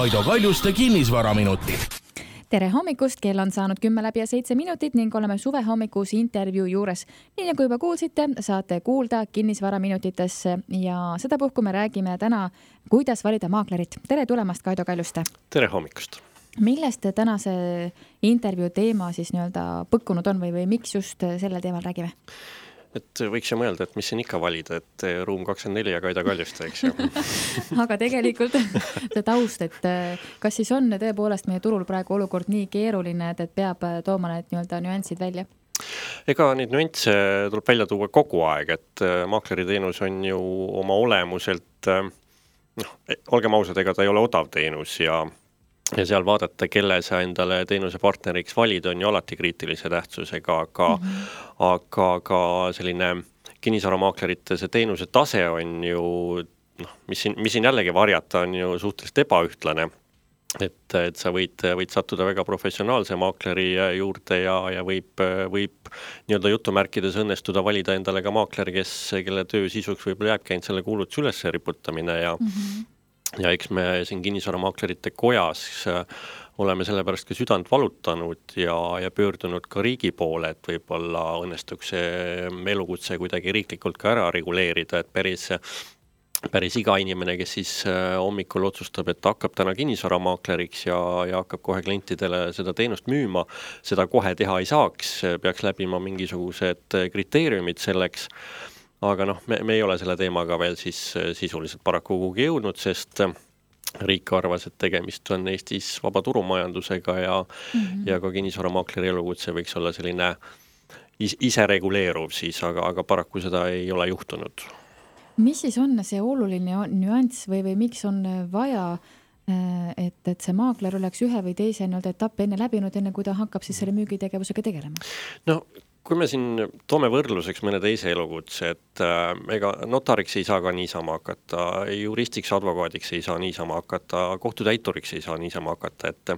Kaido Kaljuste kinnisvaraminutid. Tere hommikust, kell on saanud 10:07 ning oleme suvehommikus intervjuu juures. Nii nagu juba kuulsite, saate kuulda kinnisvaraminutites ja sedapuhku me räägime täna, kuidas valida maaklerit. Tere tulemast, Kaido Kaljuste. Tere hommikust. Millest tänase intervjuu teema siis nii-öelda põkkunud on või miks just sellel teemal räägime? Et võiks ju mõelda, et mis siin ikka valida, et Ruum 24 ja Kaido Kaljuste, eks ju. Aga tegelikult see taust, et kas siis on tõepoolest meie turul praegu olukord nii keeruline, et peab tooma need nii-öelda nüansid välja? Ega neid nüansse tuleb välja tuua kogu aeg, et maakleriteenus on ju oma olemuselt, olgem ausad, ega ta ei ole odav teenus ja seal vaadata, kelle sa endale teenuse partneriks valid, on ju alati kriitilise tähtsusega, aga selline kinnisvaramaaklerite see teenuse tase on ju, mis siin jällegi varjata, on ju suhteliselt ebaühtlane. Et sa võid sattuda väga professionaalse maakleri juurde ja võib nii-öelda jutumärkides õnnestuda valida endale ka maakleri, kelle töö sisuks võib-olla jääbki ainult selle kuulutuse üles riputamine ja eks me siin kinnisvaramaaklerite kojas oleme sellepärast ka südant valutanud ja pöördunud ka riigi poole, et võib-olla õnnestuks see elukutse kuidagi riiklikult ka ära reguleerida, et päris iga inimene, kes siis hommikul otsustab, et hakkab täna kinnisvaramaakleriks ja hakkab kohe klientidele seda teenust müüma, seda kohe teha ei saaks, peaks läbima mingisugused kriteeriumid selleks. Aga me ei ole selle teemaga veel siis sisuliselt paraku kuhugi jõudnud, sest riik arvas, et tegemist on Eestis vaba turumajandusega ja ka kinnisvaramaakleri elukutse võiks olla selline ise reguleeruv siis, aga paraku seda ei ole juhtunud. Mis siis on see oluline nüanss või miks on vaja, et see maakler oleks ühe või teise etapp enne läbinud, enne kui ta hakkab siis selle müügitegevusega tegelema? Kui me siin toome võrdluseks mõne teise elukutse, et ega notariks ei saa ka niisama hakata, juristiks, advokaadiks ei saa niisama hakata, kohtutäituriks ei saa niisama hakata, et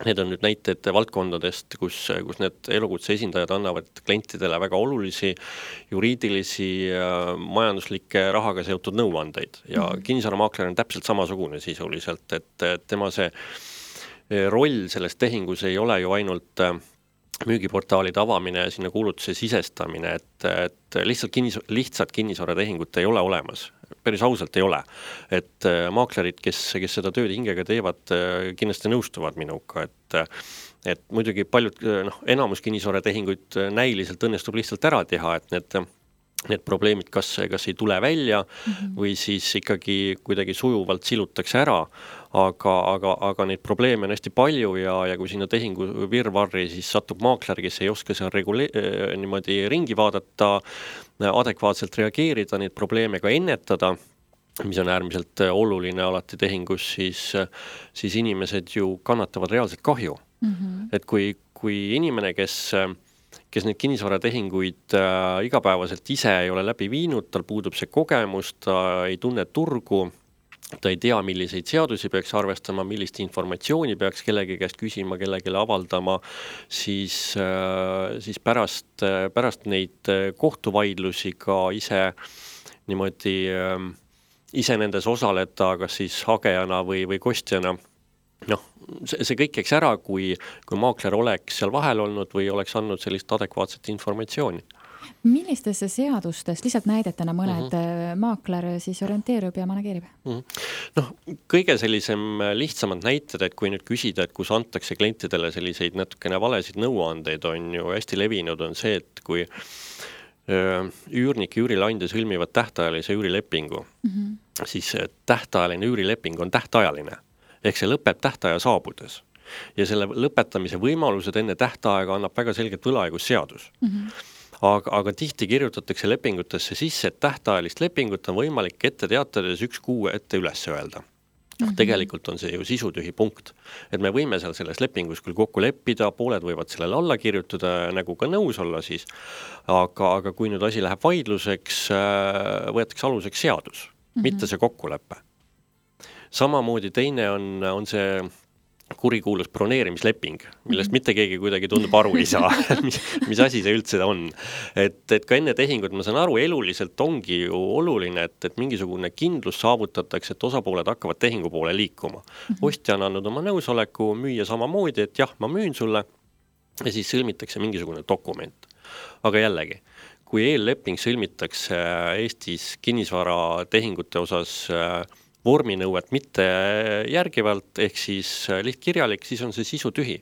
need on nüüd näited valdkondadest, kus need elukutse esindajad annavad klientidele väga olulisi juriidilisi, majanduslikke rahaga seotud nõuandeid ja kinnisvaramaakler on täpselt samasugune sisuliselt, et tema see roll selles tehingus ei ole ju ainult müügiportaalide avamine ja sinna kuulutuse sisestamine, et lihtsalt kinnisvaratehingut ei ole olemas. Päris ausalt ei ole. Et maaklerid, kes seda tööd hingega teevad, kindlasti nõustuvad minuga, et muidugi paljud, enamus kinnisvaratehinguid näiliselt õnnestub lihtsalt ära teha, et need probleemid kas ei tule välja või siis ikkagi kuidagi sujuvalt silutakse ära, aga neid probleeme on hästi palju ja kui sinna tehingu virvarri siis satub maakler, kes ei oska seal niimoodi ringi vaadata, adekvaatselt reageerida, neid probleeme ka ennetada, mis on äärmiselt oluline alati tehingus, siis inimesed ju kannatavad reaalselt kahju. Et kui inimene, kes neid kinnisvaratehinguid igapäevaselt ise ei ole läbi viinud, tal puudub see kogemus, ta ei tunne turgu, ta ei tea, milliseid seadusi peaks arvestama, millist informatsiooni peaks kellegi käest küsima, kellegile avaldama, siis pärast neid kohtuvaidlusi ka ise nendes osaleda, kas siis hagejana või kostjana. See kõik eks ära, kui maakler oleks seal vahel olnud või oleks andnud sellist adekvaatset informatsiooni. Millistesse seadustest, lihtsalt näidetena mõned maakler siis orienteerub ja manageerib? Kõige sellisem lihtsamad näited, et kui nüüd küsida, et kus antakse klientidele selliseid natukene valesid nõuandeid, on ju hästi levinud, on see, et kui üürnik ja üürileandja sõlmivad tähtajalise üürilepingu, siis tähtajaline üürileping on tähtajaline. Ehk see lõpeb tähtaja saabudes. Ja selle lõpetamise võimalused enne tähtaega annab väga selgelt võlaõigusseadus. Aga tihti kirjutatakse lepingutesse sisse, et tähtajalist lepingut on võimalik ette teatades 1 kuu ette üles öelda. Tegelikult on see ju sisutühi punkt. Et me võime seal selles lepingus küll kokku leppida, pooled võivad sellele alla kirjutada, nagu ka nõus olla siis, aga kui nüüd asi läheb vaidluseks, võetakse aluseks seadus, mitte see kokkulepe. Samamoodi teine on see kurikuulus broneerimisleping, millest mitte keegi kuidagi tundub aru ei saa, mis asi see üldse on. Et ka enne tehingut, ma saan aru, eluliselt ongi ju oluline, et mingisugune kindlus saavutatakse, et osapooled hakkavad tehingu poole liikuma. Ostja on andnud oma nõusoleku, müüa samamoodi, et jah, ma müün sulle ja siis sõlmitakse mingisugune dokument. Aga jällegi, kui eelleping sõlmitakse Eestis kinnisvaratehingute osas vorminõuet mitte järgivalt, ehk siis lihtkirjalik, siis on see sisu tühi.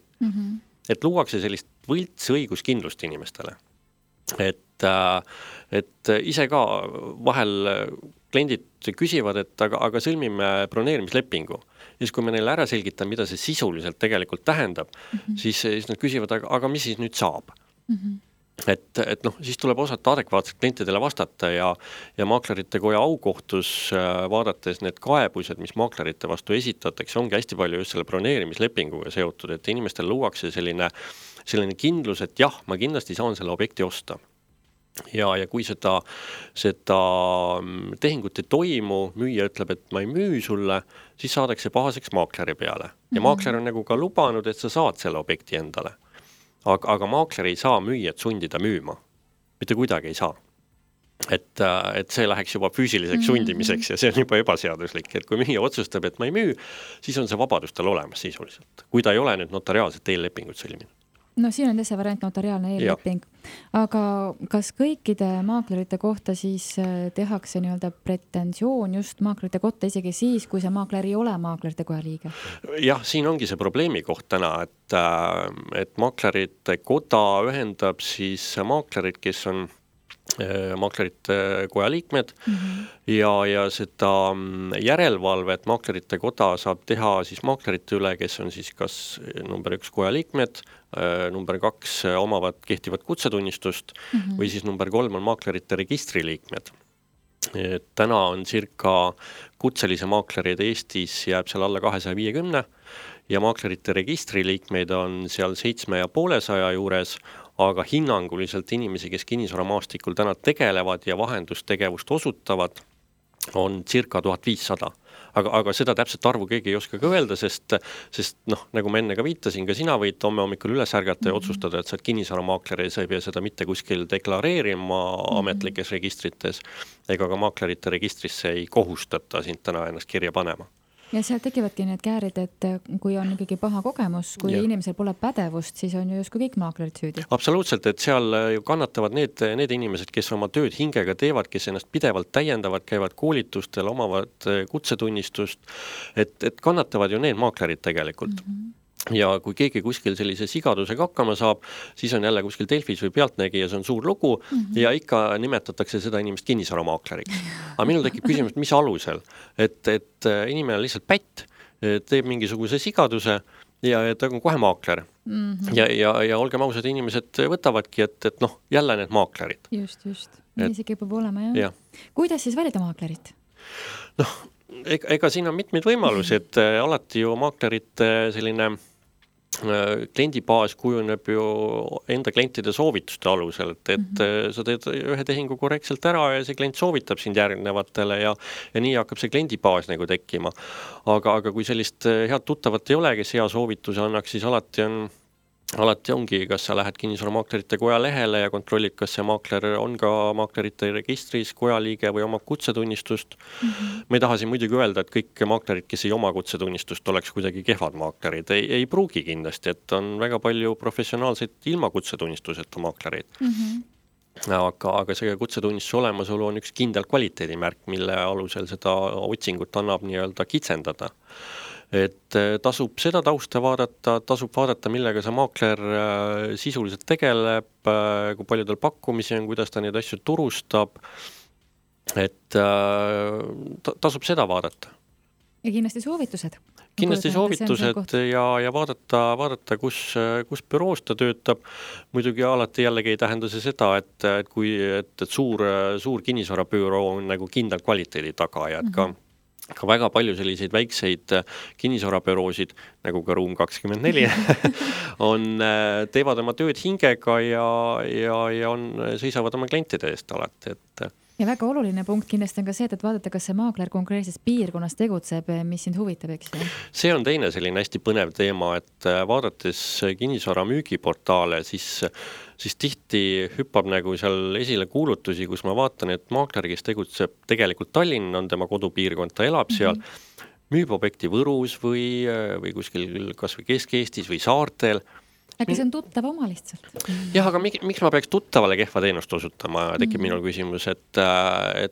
Et luuakse sellist võlts õiguskindlust inimestele. Et ise ka vahel kliendid küsivad, et aga sõlmime broneerimislepingu. Ja siis kui me neile ära selgitame, mida see sisuliselt tegelikult tähendab, siis nad küsivad, aga mis siis nüüd saab? Et siis tuleb osata adekvaatselt klientidele vastata ja maaklerite koja aukohtus vaadates need kaebused, mis maaklerite vastu esitatakse, ongi hästi palju just selle broneerimislepinguga seotud, et inimestel luuakse selline kindlus, et jah, ma kindlasti saan selle objekti osta. Ja kui seda tehingut ei toimu, müüja ütleb, et ma ei müü sulle, siis saadakse pahaseks maakleri peale. Ja maakler on nagu ka lubanud, et sa saad selle objekti endale. Aga maakler ei saa müüjat sundida müüma. Mitte kuidagi ei saa. Et see läheks juba füüsiliseks sundimiseks ja see on juba ebaseaduslik. Et kui müüja otsustab, et ma ei müü, siis on see vabadustel olemas sisuliselt. Kui ta ei ole nüüd notariaalset eellepingut sõlminud. No siin on see variant notariaalne eelleping. Aga kas kõikide maaklerite kohta siis tehakse nii-öelda pretensioon just maaklerite kohta isegi siis, kui see maakler ei ole maaklerite koja liige? Jah, siin ongi see probleemi koht täna, et maaklerite koda ühendab siis maaklerid, kes on maaklerite koja liikmed ja seda järelevalvet maaklerite koda saab teha siis maaklerite üle, kes on siis kas number 1 koja liikmed, number 2 omavad kehtivat kutsetunnistust või siis number 3 on maaklerite registriliikmed. Täna on circa kutselise maaklerid Eestis jääb seal alla 250 ja maaklerite registriliikmeid on seal 750 juures, aga hinnanguliselt inimesi, kes kinnisvaramaastikul täna tegelevad ja vahendustegevust osutavad, on circa 1500. Aga seda täpselt arvu keegi ei oska ka öelda, sest nagu ma enne ka viitasin, ka sina võid homme hommikul üles ärgata ja otsustada, et sa oled kinnisvaramaakler ja sa ei pea seda mitte kuskil deklareerima ametlikes registrites ega ka maaklerite registrisse ei kohustata sind täna ennast kirja panema. Ja seal tekivadki need käärid, et kui on ikkagi paha kogemus, kui inimesel pole pädevust, siis on ju justkui kõik maaklerid süüdi. Absoluutselt, et seal ju kannatavad need inimesed, kes oma tööd hingega teevad, kes ennast pidevalt täiendavad, käivad koolitustel, omavad kutsetunnistust, et kannatavad ju need maaklerid tegelikult. Ja kui keegi kuskil sellise sigadusega hakkama saab, siis on jälle kuskil Delfis või Pealtnägijas on suur lugu ja ikka nimetatakse seda inimest kinnisvaramaaklerik. Aga minul tekib küsimus, mis alusel, et inimene on lihtsalt pätt, teeb mingisuguse sigaduse ja ta on kohe maakler. Ja olgem ausad, inimesed võtavadki, et jälle need maaklerid. Just. Nii see kipub olema, jah. Kuidas siis valida maaklerit? Ega siin on mitmeid võimalusi, et alati ju maaklerite selline kliendibaas kujuneb ju enda klientide soovituste alusel, et sa teed ühe tehingu korrektselt ära ja see klient soovitab sind järgnevatele ja nii hakkab see kliendibaas nagu tekkima. Aga kui sellist head tuttavat ei ole, kes hea soovituse annaks, siis alati ongi, kas sa lähed kinnisvaramaaklerite koja lehele ja kontrollid, kas see maakler on ka maaklerite registris, koja liige või oma kutsetunnistust. Ma ei taha siin muidugi öelda, et kõik maaklerid, kes ei oma kutsetunnistust, oleks kuidagi kehvad maaklerid. Ei pruugi kindlasti, et on väga palju professionaalseid ilma kutsetunnistuseta maaklereid. Aga see kutsetunnistuse olemasolu on üks kindel kvaliteedimärk, mille alusel seda otsingut annab nii-öelda kitsendada. Et tasub seda tausta vaadata, tasub vaadata, millega see maakler sisuliselt tegeleb, kui palju tal pakkumisi on, kuidas ta neid asju turustab, et tasub seda vaadata. Ja kindlasti soovitused. Kindlasti soovitused ja vaadata kus büroos ta töötab. Muidugi alati jällegi ei tähenda see seda, et suur kinnisvarabüroo on nagu kindel kvaliteedi taga ja et ka väga palju selliseid väikseid kinnisvarabüroosid, nagu ka Ruum 24, teevad oma tööd hingega ja seisavad oma klientide eest alati. Ja väga oluline punkt kindlasti on ka see, et vaadata, kas see maakler konkreetses piirkonnas tegutseb, mis sind huvitab, eks ju? See on teine selline hästi põnev teema, et vaadates kinnisvara müügiportaale, siis tihti hüppab nagu seal esile kuulutusi, kus ma vaatan, et maakler, kes tegutseb tegelikult Tallinn, on tema kodupiirkond, ta elab seal, müüb objekti Võrus või kuskil kas või Kesk-Eestis või saartel. Äkki see on tuttav oma lihtsalt? Jah, aga miks ma peaks tuttavale kehva teenust osutama, tekib minul küsimus, et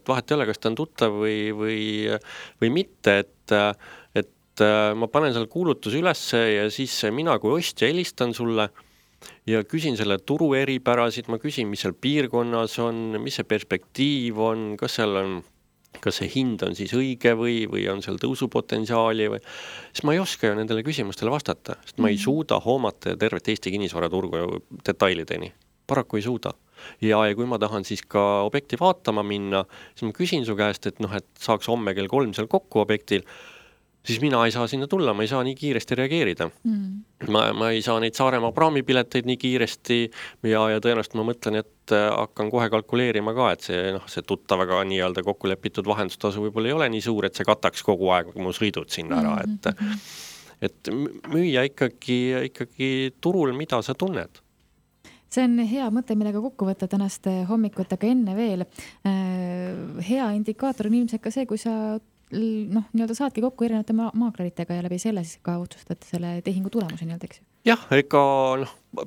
vahet ei ole, kas ta on tuttav või mitte, et ma panen seal kuulutuse ülesse ja siis mina kui ostja helistan sulle ja küsin selle turu eripärasid, ma küsin, mis seal piirkonnas on, mis see perspektiiv on, kas see hind on siis õige või on seal tõusupotentsiaali või, siis ma ei oska ju nendele küsimustele vastata, sest ma ei suuda hoomata tervet Eesti kinnisvaraturgu detailideni. Paraku ei suuda. Ja kui ma tahan siis ka objekti vaatama minna, siis ma küsin su käest, et saaks homme kell 3 seal kokku objektil, siis mina ei saa sinna tulla, ma ei saa nii kiiresti reageerida. Ma ei saa neid Saaremaa praamipileteid nii kiiresti ja tõenäoliselt ma mõtlen, et hakkan kohe kalkuleerima ka, et see tuttavaga nii-öelda kokku lepitud vahendustasu võib-olla ei ole nii suur, et see kataks kogu aeg mu sõidud sinna ära. Et müüa ikkagi turul, mida sa tunned. See on hea mõte, millega kokku võtta tänast hommikut, aga enne veel. Hea indikaator on ilmselt ka see, kui sa nii-öelda saadki kokku erinevate maakleritega ja läbi selle siis ka otsustad selle tehingu tulemuse nii-öelda, eks ju? Jah, ega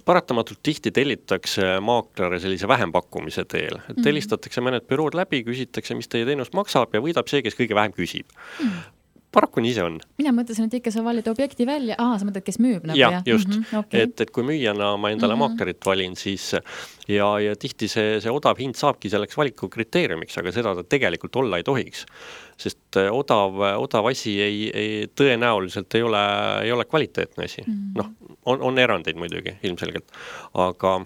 paratamatult tihti tellitakse maaklere sellise vähempakkumise teel. Tellistatakse mõned bürood läbi, küsitakse, mis teie teenus maksab ja võidab see, kes kõige vähem küsib. Paraku nii see on. Mina mõtlesin, et ikka sa valid objekti välja. Sa mõtled, kes müüb nagu, ja, just. Okay. Et kui müüjana ma endale maaklerit valin, siis ja tihti see odav hind saabki selleks valiku kriteeriumiks, aga seda ta tegelikult olla ei tohiks. Sest odav asi tõenäoliselt ei ole kvaliteetne asi. On erandeid muidugi ilmselgelt, aga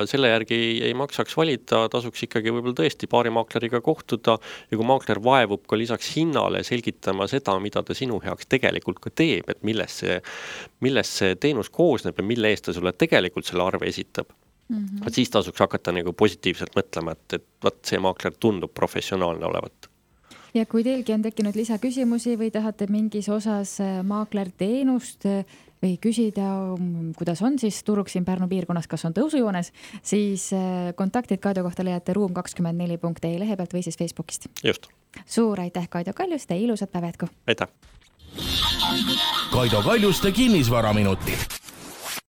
selle järgi ei maksaks valida, tasuks ikkagi võib-olla tõesti paari maakleriga kohtuda ja kui maakler vaevub ka lisaks hinnale selgitama seda, mida ta sinu heaks tegelikult ka teeb, et millest see teenus koosneb ja mille eest ta sulle tegelikult selle arve esitab. Siis tasuks hakata nagu positiivselt mõtlema, et see maakler tundub professionaalne olevat. Ja kui teilgi on tekkinud lisaküsimusi või tahate mingis osas maakler teenust või küsida, kuidas on siis turg siin Pärnu piirkonnas, kas on tõusujoones, siis kontaktid Kaido kohta leiate room24.ee lehe pealt või siis Facebookist. Just. Suur aitäh Kaido Kaljuste, ilusat päeva jätku! Aitäh! Kaido Kaljuste kinnisvaraminutid.